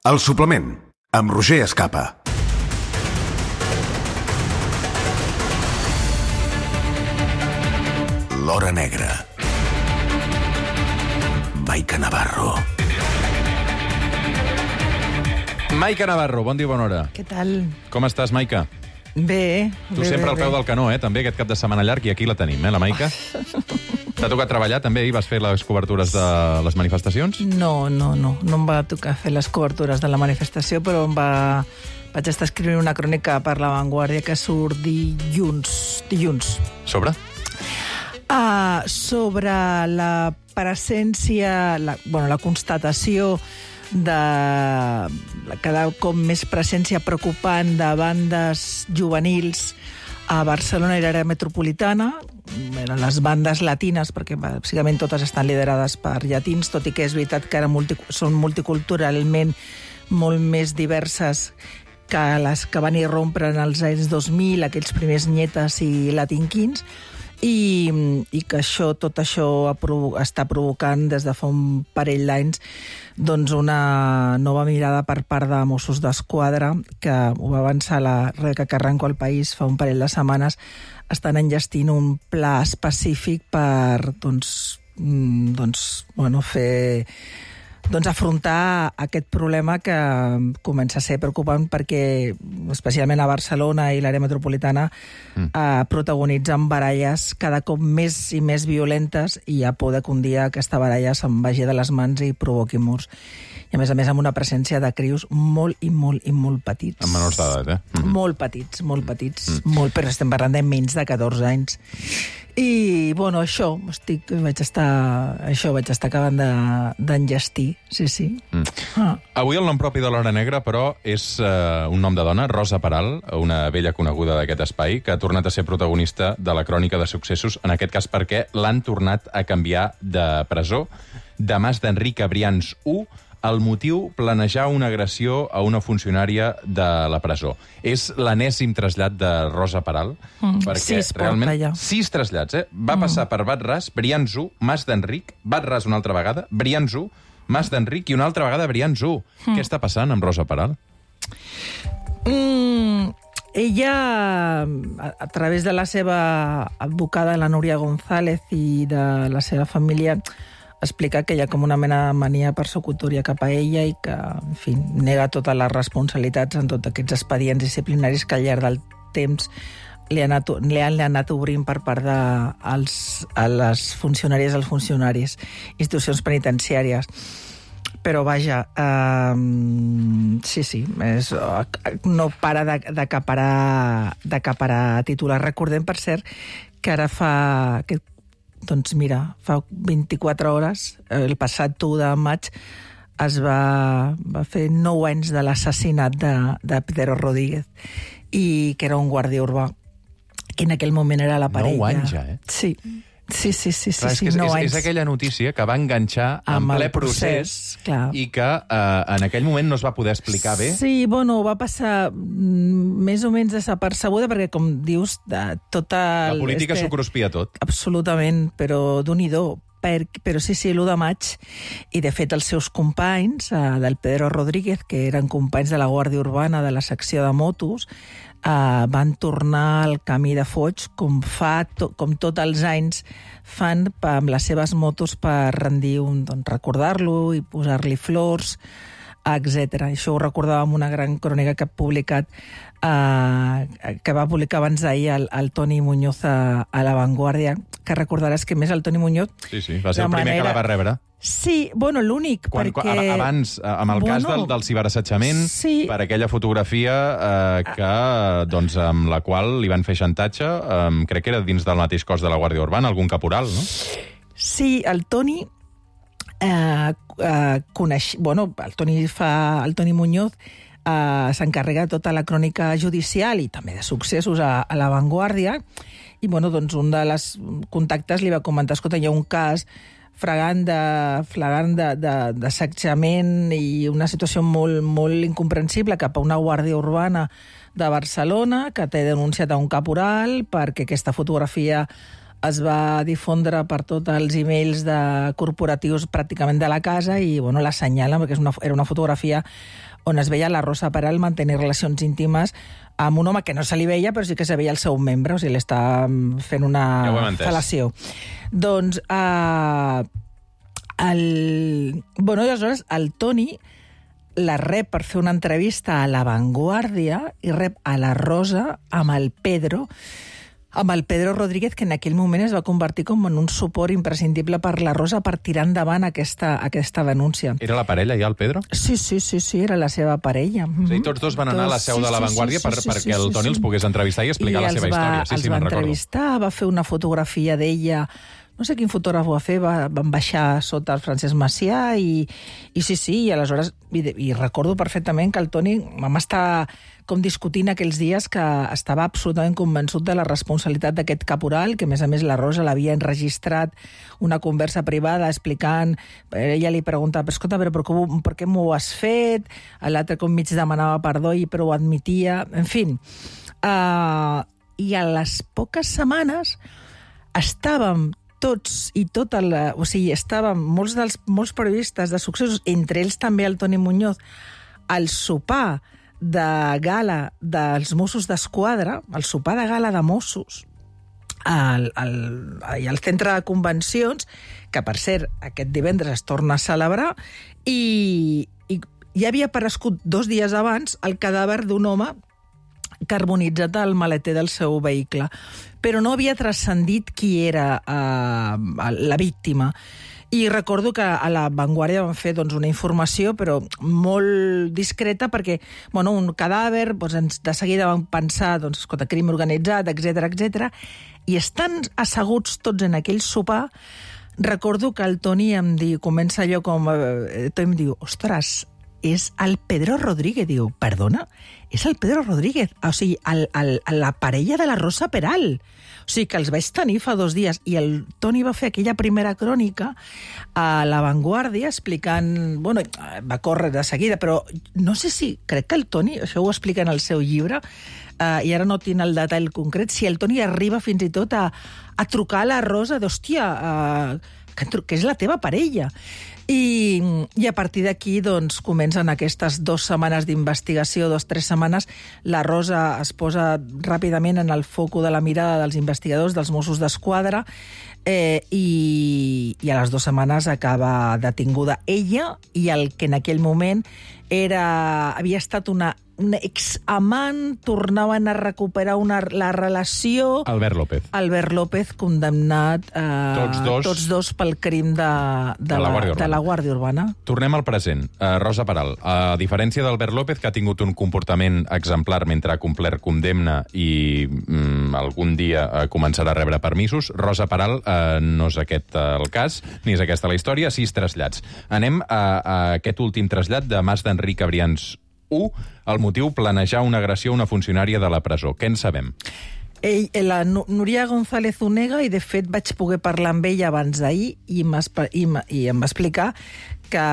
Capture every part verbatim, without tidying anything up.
El suplement, amb Roger Escapa. L'Hora Negra. Maica Navarro. Maica Navarro, bon dia, bona hora. Què tal? Com estàs, Maica? Bé. Tu bé, sempre bé, al peu bé. del canó, eh? També aquest cap de setmana llarg, i aquí la tenim, eh, la Maica? T'ha tocat treballar, també, i vas fer les cobertures de les manifestacions? No, no, no. No em va tocar fer les cobertures de la manifestació, però em va... vaig estar escrivint una crònica per La Vanguardia que surt dilluns. Dilluns. Sobre? Uh, sobre la presència, la, bueno, la constatació de cada cop més presència preocupant de bandes juvenils a Barcelona i l'àrea metropolitana, les bandes latines, perquè bàsicament totes estan liderades per llatins, tot i que és veritat que ara multi, són multiculturalment molt més diverses que les que van irrompre en els anys dos mil, aquells primers nyetes i latinquins, i, i que això, tot això ha provo- està provocant des de fa un parell d'anys doncs una nova mirada per part de Mossos d'Esquadra, que ho va avançar la Rebeca Carranco al País fa un parell de setmanes, estan enllestint un pla específic per doncs, mm, doncs, bueno, fer... doncs afrontar aquest problema que comença a ser preocupant perquè, especialment a Barcelona i l'àrea metropolitana, mm. eh, protagonitzen baralles cada cop més i més violentes i hi ha por que un dia aquesta baralla se'n vagi de les mans i provoqui morts. I a més a més amb una presència de crios molt i molt i molt petits. Amb menors d'edat, eh? Mm-hmm. Molt petits, molt petits, mm. molt, però estem parlant de menys de catorze anys. I, bueno, això, estic, vaig estar, això vaig estar acabant de, d'enllestir, sí, sí. Mm. Ah. Avui el nom propi de l'Hora Negra, però, és uh, un nom de dona, Rosa Peral, una vella coneguda d'aquest espai, que ha tornat a ser protagonista de la crònica de successos, en aquest cas perquè l'han tornat a canviar de presó, de Mas d'Enric a Brians u, el motiu, planejar una agressió a una funcionària de la presó. És l'enèsim trasllat de Rosa Peral, Mm, perquè sis realment... porta ja. Sis trasllats, eh? Va Mm. passar per Bat-ras, Brians u, Mas d'Enric, Bat-ras una altra vegada, Brians u, Mas d'Enric i una altra vegada Brians u. Mm. Què està passant amb Rosa Peral? Mm, ella, a, a través de la seva advocada, la Núria González, i de la seva família, explica que hi ha com una mena de mania persecutòria cap a ella i que, en fi, nega totes les responsabilitats en tots aquests expedients disciplinaris que al llarg del temps li, ha anat, li han anat obrint per part de els, a les funcionàries als funcionaris, institucions penitenciàries. Però, vaja, eh, sí, sí, és, no para d'acaparar d'acaparar titulars. Recordem, per cert, que ara fa... Que, doncs mira, fa vint-i-quatre hores, el passat u de maig, es va, va fer nou anys de l'assassinat de, de Pedro Rodríguez, i que era un guàrdia urbà, que en aquell moment era la parella. Nou anys ja, eh? Sí, sí, sí, sí, sí, Clar, és, sí, que és, nou és, anys. és aquella notícia que va enganxar en Amb el ple procés, procés, clar. i que eh, en aquell moment no es va poder explicar bé. Sí, bueno, va passar mm, més o menys desapercebuda, perquè, com dius, de tota... La política este... s'ho cruspia tot. Absolutament, però d'un-i-do. Per, però sí, sí, l'u de maig, i de fet els seus companys, eh, del Pedro Rodríguez, que eren companys de la Guàrdia Urbana de la secció de motos, eh, van tornar al camí de Foix, com fa to, com tots els anys fan pa, amb les seves motos per rendir un, doncs, recordar-lo i posar-li flors, etcètera. Això ho recordàvem una gran crònica que ha publicat, eh, que va publicar abans d'ahir el, el Toni Muñoz a, a La Vanguardia, que recordaràs que més el Toni Muñoz... Sí, sí, va ser el de primer manera... que la va rebre. Sí, bueno, l'únic, Quan, perquè... quan, abans, amb el bueno, cas del, del ciberassetjament, sí. per aquella fotografia eh, que, doncs, amb la qual li van fer xantatge, eh, crec que era dins del mateix cos de la Guàrdia Urbana, algun caporal, no? Sí, el Toni... Eh, eh, coneix... Bueno, el Toni, fa, el Toni Muñoz eh, s'encarrega de tota la crònica judicial i també de successos a, a La Vanguardia, i, bueno, doncs, un dels contactes li va comentar, escolta, hi ha un cas flagrant de, flagrant de, de, d'assetjament i una situació molt, molt incomprensible cap a una guàrdia urbana de Barcelona que té denunciat a un caporal perquè aquesta fotografia es va difondre per tots els emails de corporatius pràcticament de la casa i bueno, l'assenyalen perquè és una, era una fotografia on es veia la Rosa Peral mantenir relacions íntimes amb un home que no se li veia, però sí que se veia el seu membre, o sigui, li està fent una ja fel·lació. Doncs, eh, el... bueno, i aleshores el Toni la rep per fer una entrevista a La Vanguardia i rep a la Rosa amb el Pedro, amb el Pedro Rodríguez, que en aquell moment es va convertir com en un suport imprescindible per la Rosa per tirar endavant aquesta, aquesta denúncia. Era la parella ja, el Pedro? Sí, sí, sí, sí, era la seva parella. Mm-hmm. Sí, tots dos van anar tots, a la seu sí, de La Vanguardia sí, sí, per, sí, perquè sí, el Toni sí, sí. els pogués entrevistar i explicar I la seva va, història. Sí, els sí, va me'n recordo. entrevistar, va fer una fotografia d'ella. No sé quin fotògraf ho va fer, va, van baixar sota el Francesc Macià i, i sí, sí, i aleshores, i, i recordo perfectament que el Toni vam estar com discutint aquells dies que estava absolutament convençut de la responsabilitat d'aquest caporal, que a més a més la Rosa l'havia enregistrat una conversa privada explicant, ella li preguntava, escolta, però per, com, per què m'ho has fet? L'altre com mig demanava perdó i però ho admetia, en fi. Uh, I a les poques setmanes estàvem tots i tota la... O sigui, estàvem molts dels molts periodistes de successos, entre ells també el Toni Muñoz, al sopar de gala dels Mossos d'Esquadra, el sopar de gala de Mossos, al, al, al centre de convencions, que per cert, aquest divendres es torna a celebrar, i, i ja havia aparegut dos dies abans el cadàver d'un home carbonitzat al maleter del seu vehicle, però no havia transcendit qui era eh, la víctima. I recordo que a La Vanguardia van fer doncs, una informació, però molt discreta, perquè bueno, un cadàver, doncs, de seguida van pensar doncs, escolta, crim organitzat, etcètera, etcètera, i estan asseguts tots en aquell sopar. Recordo que el Toni em diu, comença allò com... Eh, Toni em diu, ostres, és el Pedro Rodríguez. Diu, perdona? És el Pedro Rodríguez. O sigui, el, el, la parella de la Rosa Peral. O sigui, que els vaig tenir fa dos dies. I el Toni va fer aquella primera crònica a La Vanguardia explicant... Bueno, va córrer de seguida, però no sé si... Crec que el Toni, això ho explica en el seu llibre, eh, i ara no tinc el detall concret, si el Toni arriba fins i tot a, a trucar a la Rosa d'hòstia, eh, que, que és la teva parella. I, i a partir d'aquí doncs, comencen aquestes dues setmanes d'investigació, dues, tres setmanes. La Rosa es posa ràpidament en el foco de la mirada dels investigadors, dels Mossos d'Esquadra, eh, i, i a les dues setmanes acaba detinguda ella i el que en aquell moment era, havia estat una, una examant, tornaven a recuperar una, la relació... Albert López. Albert López, condemnat eh, tots, dos, tots dos pel crim de, de, de, la, la, de la Guàrdia Urbana. Tornem al present. Uh, Rosa Peral, a diferència d'Albert López, que ha tingut un comportament exemplar mentre ha complert condemna i mm, algun dia uh, començarà a rebre permisos, Rosa Peral uh, no és aquest uh, el cas, ni és aquesta la història, sis trasllats. Anem a, a aquest últim trasllat de Mas d'Enric Abrians u, el motiu planejar una agressió a una funcionària de la presó. Què en sabem? Ell, la Núria González Unega, i de fet vaig poder parlar amb ella abans d'ahir i, i, i em va explicar que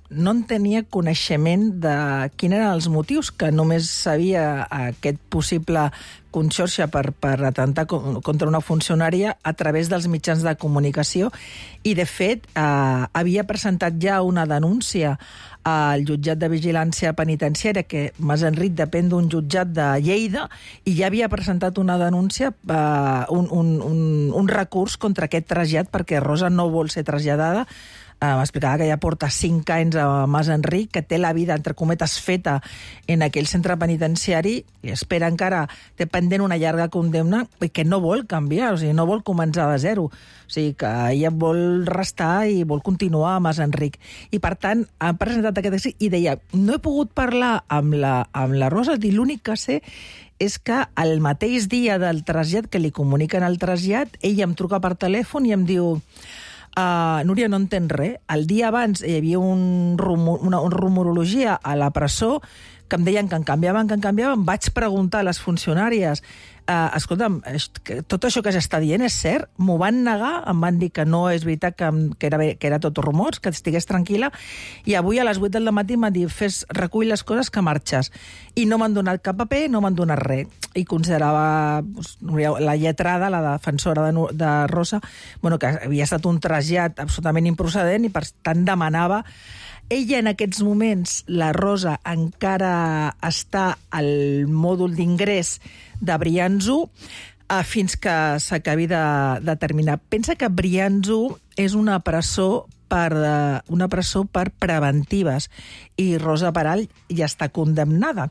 no en tenia coneixement de quins eren els motius, que només sabia aquest possible conxorxa per, per atentar contra una funcionària a través dels mitjans de comunicació, i de fet eh, havia presentat ja una denúncia al jutjat de vigilància penitenciària, que Mas Enric depèn d'un jutjat de Lleida, i ja havia presentat una denúncia, eh, un, un, un, un recurs contra aquest trasllat, perquè Rosa no vol ser traslladada. Uh, m'explicava que ja porta cinc anys a Mas Enric, que té la vida, entre cometes, feta en aquell centre penitenciari i espera encara, té pendent una llarga condemna i que no vol canviar, o sigui, no vol començar de zero. O sigui, que ella vol restar i vol continuar a Mas Enric. I, per tant, ha presentat aquest èxit i deia, no he pogut parlar amb la, amb la Rosa, i l'únic que sé és que el mateix dia del trasllat, que li comuniquen el trasllat, ella em truca per telèfon i em diu... Uh, Núria, no entens res. El dia abans hi havia un rumor, una, una rumorologia a la presó que em deien que en canviaven, que en canviaven. Vaig preguntar a les funcionàries, uh, escolta'm, tot això que s'està dient és cert? M'ho van negar, em van dir que no és veritat, que, que, era, que era tot rumors, que estigués tranquil·la, i avui a les vuit del matí m'han dit, fes, recull les coses que marxes. I no m'han donat cap paper, no m'han donat res. I considerava doncs, la lletrada, la defensora de, de Rosa, bueno, que havia estat un trasllat absolutament improcedent i per tant demanava. Ella en aquests moments, la Rosa, encara està al mòdul d'ingrés de Brians-u eh, fins que s'acabi de, de terminar. Pensa que Brians-u és una presó per, uh, una presó per preventives i Rosa Peral ja està condemnada.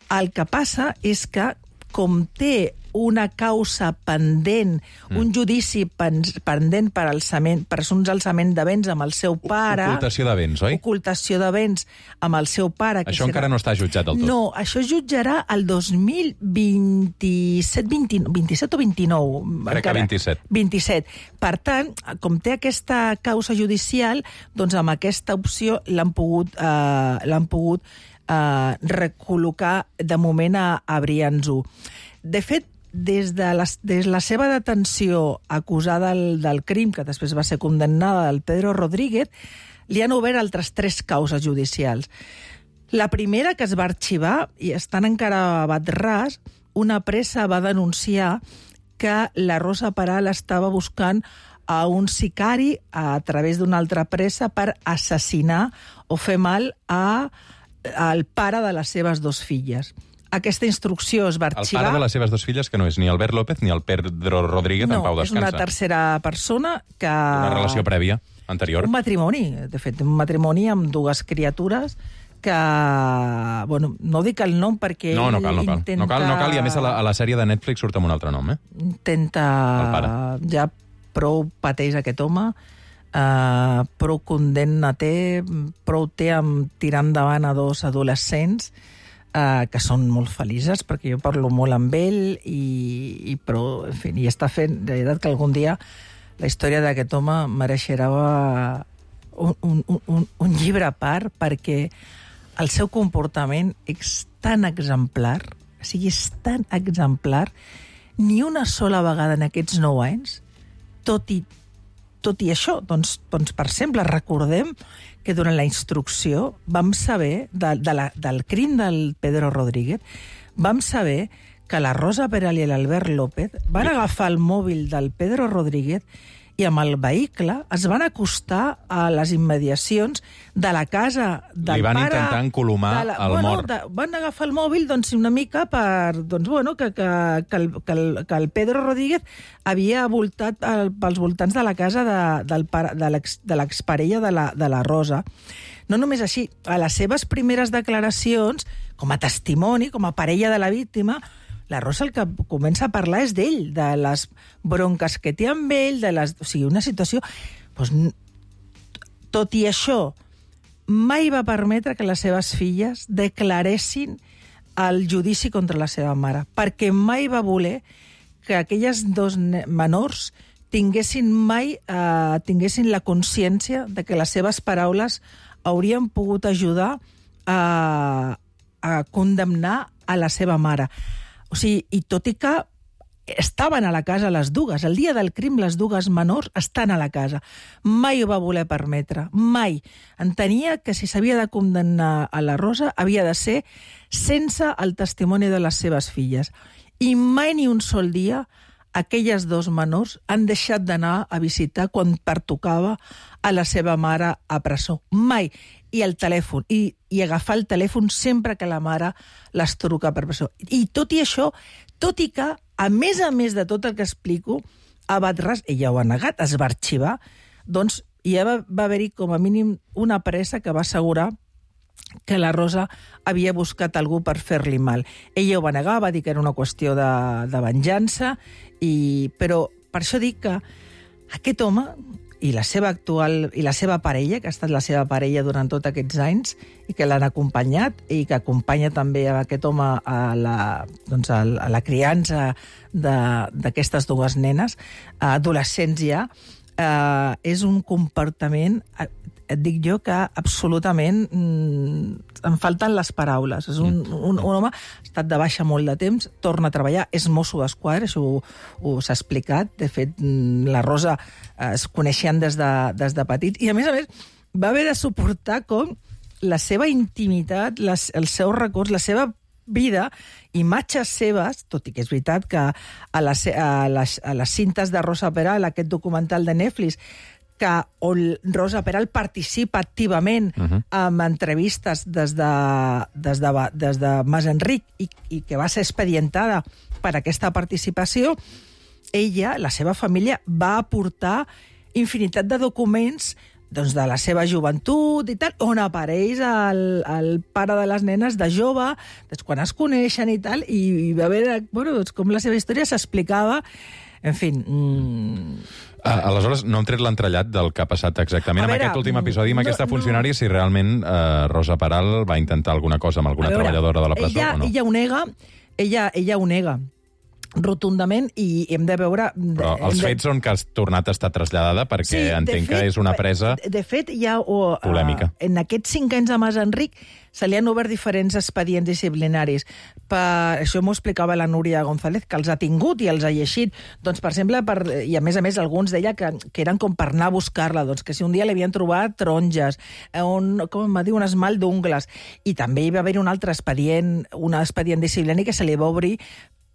El que passa és que, com té una causa pendent, mm. un judici pendent per, alçament, per uns alçament de béns amb el seu pare... Ocultació de béns, oi? Ocultació de béns amb el seu pare. Que això serà... encara no està jutjat del tot. No, això es jutjarà el dos mil vint-i-set, vint, vint-i-set o vint-i-nou? Crec encara. que vint-i-set. vint-i-set. Per tant, com té aquesta causa judicial, doncs amb aquesta opció l'han pogut, eh, l'han pogut eh, recol·locar de moment a, a Brians-u. De fet, des de, la, des de la seva detenció acusada del, del crim, que després va ser condemnada, del Pedro Rodríguez, li han obert altres tres causes judicials. La primera, que es va arxivar, i estan encara a bat ras, una pressa va denunciar que la Rosa Peral estava buscant a un sicari a través d'una altra pressa per assassinar o fer mal a, al pare de les seves dues filles. Aquesta instrucció es va arxivar... El pare de les seves dues filles, que no és ni Albert López ni el Pedro Rodríguez, no, en pau descansa. No, és una tercera persona que... Una relació prèvia, anterior. Un matrimoni, de fet, un matrimoni amb dues criatures que... Bueno, no dic el nom perquè no, no cal, no cal. intenta... No cal, no cal, i a més a la, a la sèrie de Netflix surt amb un altre nom, eh? Intenta... El pare. Ja prou pateix aquest home, uh, prou condemna té, prou té amb tirar endavant a dos adolescents, Uh, que són molt felices, perquè jo parlo molt amb ell, i, i però, en fi, i està fent, de veritat que algun dia la història d'aquest home mereixerà un, un, un, un llibre a part, perquè el seu comportament és tan exemplar, o sigui, és tan exemplar, ni una sola vegada en aquests nou anys, tot i, tot i això, doncs, doncs, per exemple, recordem que durant la instrucció vam saber, de, de la, del crim del Pedro Rodríguez, vam saber que la Rosa Peral i l'Albert López van agafar el mòbil del Pedro Rodríguez i amb el vehicle es van acostar a les immediacions de la casa del pare... Li van pare, intentar encolomar la, el bueno, mort. De, van agafar el mòbil doncs, una mica per... Doncs, bueno, que, que, que, el, que, el, que el Pedro Rodríguez havia voltat el, pels voltants de la casa de, del pare, de l'exparella de, la, de la Rosa. No només així, a les seves primeres declaracions, com a testimoni, com a parella de la víctima, la Rosa el que comença a parlar és d'ell, de les bronques que té amb ell, de les... O sigui, una situació... Doncs, tot i això, mai va permetre que les seves filles declaressin el judici contra la seva mare, perquè mai va voler que aquelles dos menors tinguessin mai eh, tinguessin la consciència de que les seves paraules haurien pogut ajudar a, a condemnar a la seva mare. O sigui, i tot i que estaven a la casa les dues, el dia del crim les dues menors estan a la casa. Mai ho va voler permetre, mai. Entenia que si s'havia de condemnar a la Rosa havia de ser sense el testimoni de les seves filles. I mai ni un sol dia aquelles dos menors han deixat d'anar a visitar quan pertocava a la seva mare a presó. Mai. I el telèfon, i, i agafar el telèfon sempre que la mare les truca per presó. I tot i això, tot i que, a més a més de tot el que explico, a Bat-ras, ella ho ha negat, es va arxivar, doncs ja va, va haver-hi com a mínim una pressa que va assegurar que la Rosa havia buscat algú per fer-li mal. Ella ho va negar, va dir que era una qüestió de, de venjança, i, però per això dic que aquest home i la seva actual i la seva parella, que ha estat la seva parella durant tots aquests anys i que l'han acompanyat i que acompanya també a aquest home a la, doncs a la criança d'aquestes dues nenes, adolescents ja, eh, és un comportament et dic jo que absolutament mm, em falten les paraules. És un, un, un home ha estat de baixa molt de temps, torna a treballar, és mosso d'esquadra, això ho, ho s'ha explicat. De fet, la Rosa eh, es coneixien des de, des de petit, i a més a més va haver de suportar com la seva intimitat, les, els seus records, la seva vida, imatges seves, tot i que és veritat que a les, a les, a les cintes de Rosa Peral, aquest documental de Netflix, que on Rosa Peral participa activament uh-huh. en entrevistes des de, des de, des de Mas Enric i, i que va ser expedientada per aquesta participació, ella, la seva família, va aportar infinitat de documents doncs, de la seva joventut i tal, on apareix el, el pare de les nenes de jove, doncs, quan es coneixen i tal, i, i va haver de, bueno, doncs, com la seva història s'explicava. En fi... Mm... Uh, aleshores, no hem tret l'entrellat del que ha passat exactament A amb veure, aquest últim episodi, amb no, aquesta no. funcionària, si realment uh, Rosa Peral va intentar alguna cosa amb alguna veure, treballadora de la presó ella, o no. Ella ho nega, ella, ella ho nega rotundament, i hem de veure... Però els de... fets són que has tornat a estar traslladada perquè sí, entenc fet, que és una presa de, de fet, hi ha... O, polèmica. Uh, en aquests cinc anys de Mas Enric se li han obert diferents expedients disciplinaris. Per, això m'ho explicava la Núria González, que els ha tingut i els ha llegit. Doncs, per exemple, per, i a més a més alguns deia que, que eren com per anar a buscar-la, doncs que si un dia li havien trobat taronges, un, com em va dir, un esmalt d'ungles, i també hi va haver un altre expedient, un expedient disciplinari que se li va obrir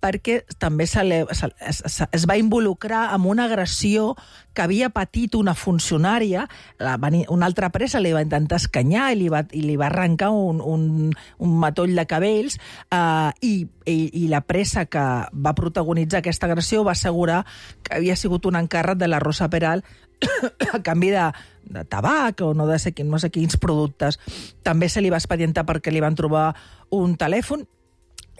perquè també se le, se, es, es va involucrar en una agressió que havia patit una funcionària, la, una altra presa li va intentar escanyar i li va, i li va arrencar un, un, un matoll de cabells, eh, i, i, i la presa que va protagonitzar aquesta agressió va assegurar que havia sigut un encàrrec de la Rosa Peral a canvi de, de tabac o no, de ser, no sé quins productes. També se li va expedientar perquè li van trobar un telèfon.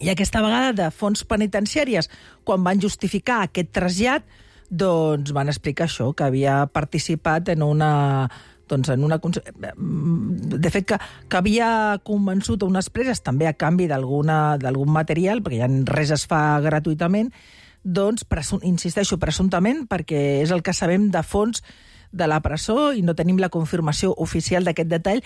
I aquesta vegada de fons penitenciàries, quan van justificar aquest trasllat, doncs van explicar això, que havia participat en una... Doncs en una de fet, que, que havia convençut a unes preses, també a canvi d'alguna d'algun material, perquè ja res es fa gratuïtament, doncs, presum, insisteixo, presumptament, perquè és el que sabem de fons de la presó i no tenim la confirmació oficial d'aquest detall,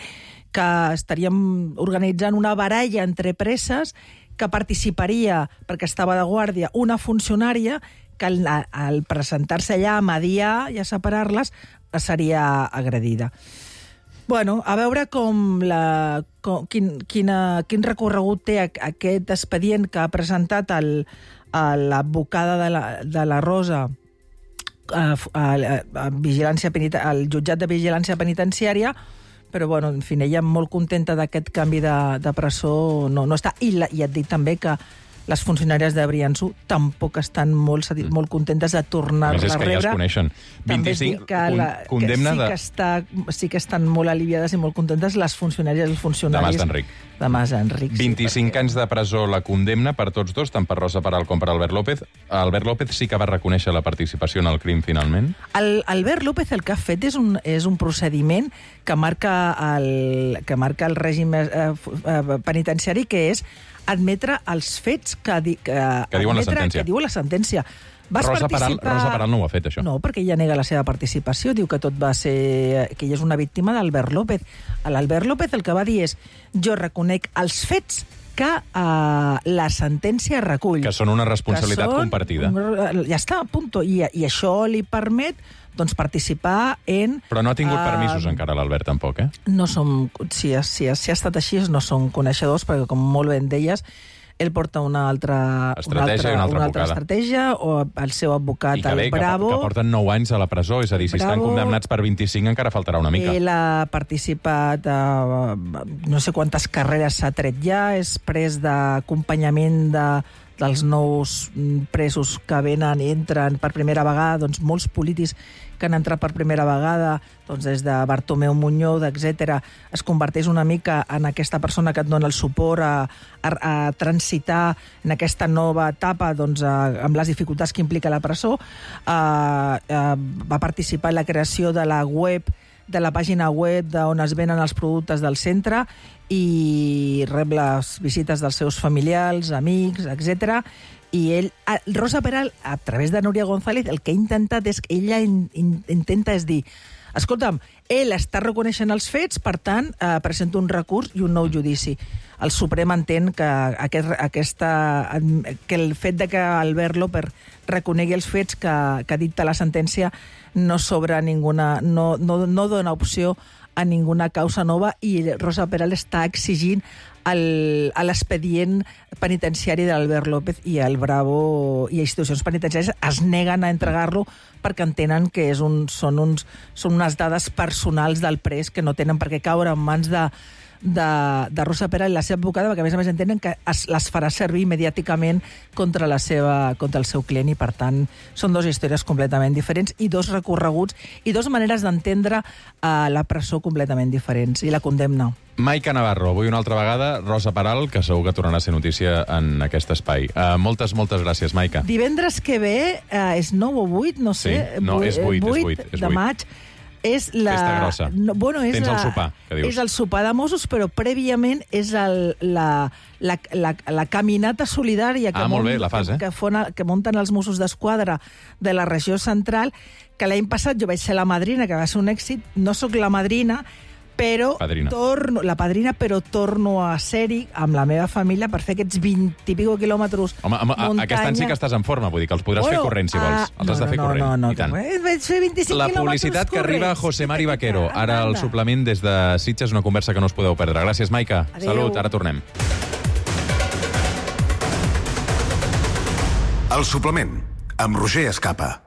que estaríem organitzant una baralla entre preses que participaria, perquè estava de guàrdia, una funcionària que al, al presentar-se allà a mediar i a separar-les seria agredida. Bueno, a veure com la, com, quin, quina, quin recorregut té aquest expedient que ha presentat el, l'advocada de, la, de la Rosa a, a, a vigilància peniten, al jutjat de vigilància penitenciària, però, bueno, en fi, ella molt contenta d'aquest canvi de, de presó no, no està. I, la, i et dic també que les funcionàries de Brianço tampoc estan molt, molt contentes de tornar-la a rebre. A més, és que ja es coneixen. vint-i-cinc, que la, condemna que sí, de... que està, sí que estan molt aliviades i molt contentes les funcionàries i els funcionaris... De Mas Enric. De Mas Enric, sí, vint-i-cinc perquè... anys de presó la condemna per tots dos, tant per Rosa Peral com per Albert López. Albert López sí que va reconèixer la participació en el crim, finalment? El, Albert López el que ha fet és un, és un procediment que marca el, que marca el règim eh, penitenciari, que és admetre els fets que, di, que, que diuen admetre, la sentència. Que diu la sentència. Vas Rosa participar... Peral, Rosa Peral no ho ha fet, això. No, perquè ella nega la seva participació, diu que tot va ser... que ella és una víctima d'Albert López. L'Albert López el que va dir és: jo reconec els fets que uh, la sentència recull. Que són una responsabilitat són, compartida. Ja està, punto. I, i això li permet doncs, participar en... Però no ha tingut uh, permisos encara l'Albert, tampoc, eh? No som... Si, si, si ha estat així, no som coneixedors, perquè, com molt ben deies, ell porta una altra estratègia, una altra, una altra, una altra estratègia, o el seu advocat, I que bé, el Bravo... Que, que porten nou anys a la presó, és a dir, si Bravo, estan condemnats per vint-i-cinc encara faltarà una mica. Ell ha participat a no sé quantes carreres s'ha tret ja, és pres d'acompanyament de, dels nous presos que venen i entren per primera vegada, doncs molts polítics que han entrat per primera vegada, doncs des de Bartomeu Muñoz, etcètera, es converteix una mica en aquesta persona que et dona el suport a, a, a transitar en aquesta nova etapa, doncs, a, amb les dificultats que implica la presó. A, a, va participar en la creació de la web, de la pàgina web on es venen els productes del centre, i rep les visites dels seus familiars, amics, etcètera. I ell, Rosa Peral, a través de Núria González, el que ha intentat és, ella in, in, intenta és dir, Escolta'm, ell està reconeixent els fets, per tant, eh, presenta un recurs i un nou judici. El Suprem entén que, aquest, aquesta, que el fet de que Albert López reconegui els fets que, que dicta la sentència no s'obre ninguna, no, no, no dona opció a ninguna causa nova i Rosa Peral està exigint el, a l'expedient penitenciari d'Albert López i el Bravo i institucions penitenciàries es neguen a entregar-lo perquè entenen que és un, són, uns, són unes dades personals del pres que no tenen per què caure en mans de, de, de Rosa Peral i la seva advocada, perquè a més a més entenen que es, les farà servir mediàticament contra, la seva, contra el seu client i per tant són dues històries completament diferents i dos recorreguts i dues maneres d'entendre uh, la presó completament diferents i la condemna. Maica Navarro, avui una altra vegada, Rosa Peral, que segur que tornarà a ser notícia en aquest espai. Uh, moltes, moltes gràcies, Maica. Divendres que ve uh, és nou o vuit, no sé. Sí, no, és vuit, és vuit. És de maig. És la... Festa grossa. No, bueno, és Tens la... el sopar, que dius. És el sopar de Mossos, però prèviament és el, la, la, la, la caminata solidària que, ah, molt mont, bé, la fas, eh? que, fona, que munten els Mossos d'Esquadra de la regió central, que l'any passat jo vaig ser la madrina, que va ser un èxit. No sóc la madrina, però padrina. torno, la padrina, però torno a ser-hi amb la meva família per fer aquests vint i pico quilòmetres Home, home muntanya. Aquest any sí que estàs en forma, vull dir que els podràs bueno, fer corrent, si vols. Els no, has de fer no, corrent, no, no, i tant. No, vaig fer vint-i-cinc La quilòmetres publicitat que arriba a corrents. José Mari Vaquero. Ara el suplement des de Sitges, una conversa que no us podeu perdre. Gràcies, Maica. Adéu. Salut, ara tornem. El suplement, amb Roger Escapa.